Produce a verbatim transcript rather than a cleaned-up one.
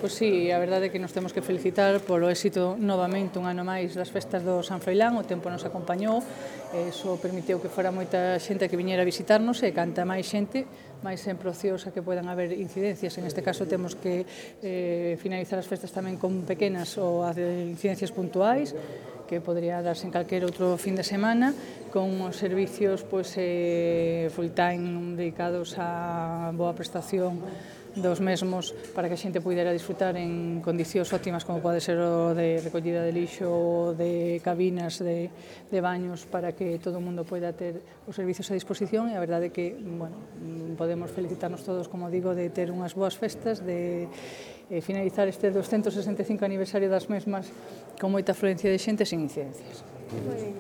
Pois sí, a verdade é que nos temos que felicitar polo éxito novamente un ano máis das festas do San Froilán. O tempo nos acompañou, e iso permitiu que fora moita xente que viñera a visitarnos, e canta máis xente, máis sempre ociosa que podan haber incidencias. En este caso temos que eh, finalizar as festas tamén con pequenas ou incidencias puntuais, que podría darse en calquer outro fin de semana, con os servicios pois, eh, full time dedicados á boa prestación dos mesmos para que a xente pudera disfrutar en condicións óptimas, como pode ser o de recollida de lixo ou de cabinas de, de baños, para que todo o mundo poida ter os servicios a disposición. E a verdade é que, bueno, podemos felicitarnos todos, como digo, de ter unhas boas festas, de eh, finalizar este doscientos sesenta e cinco aniversario das mesmas con moita afluencia de xente sin incidencias.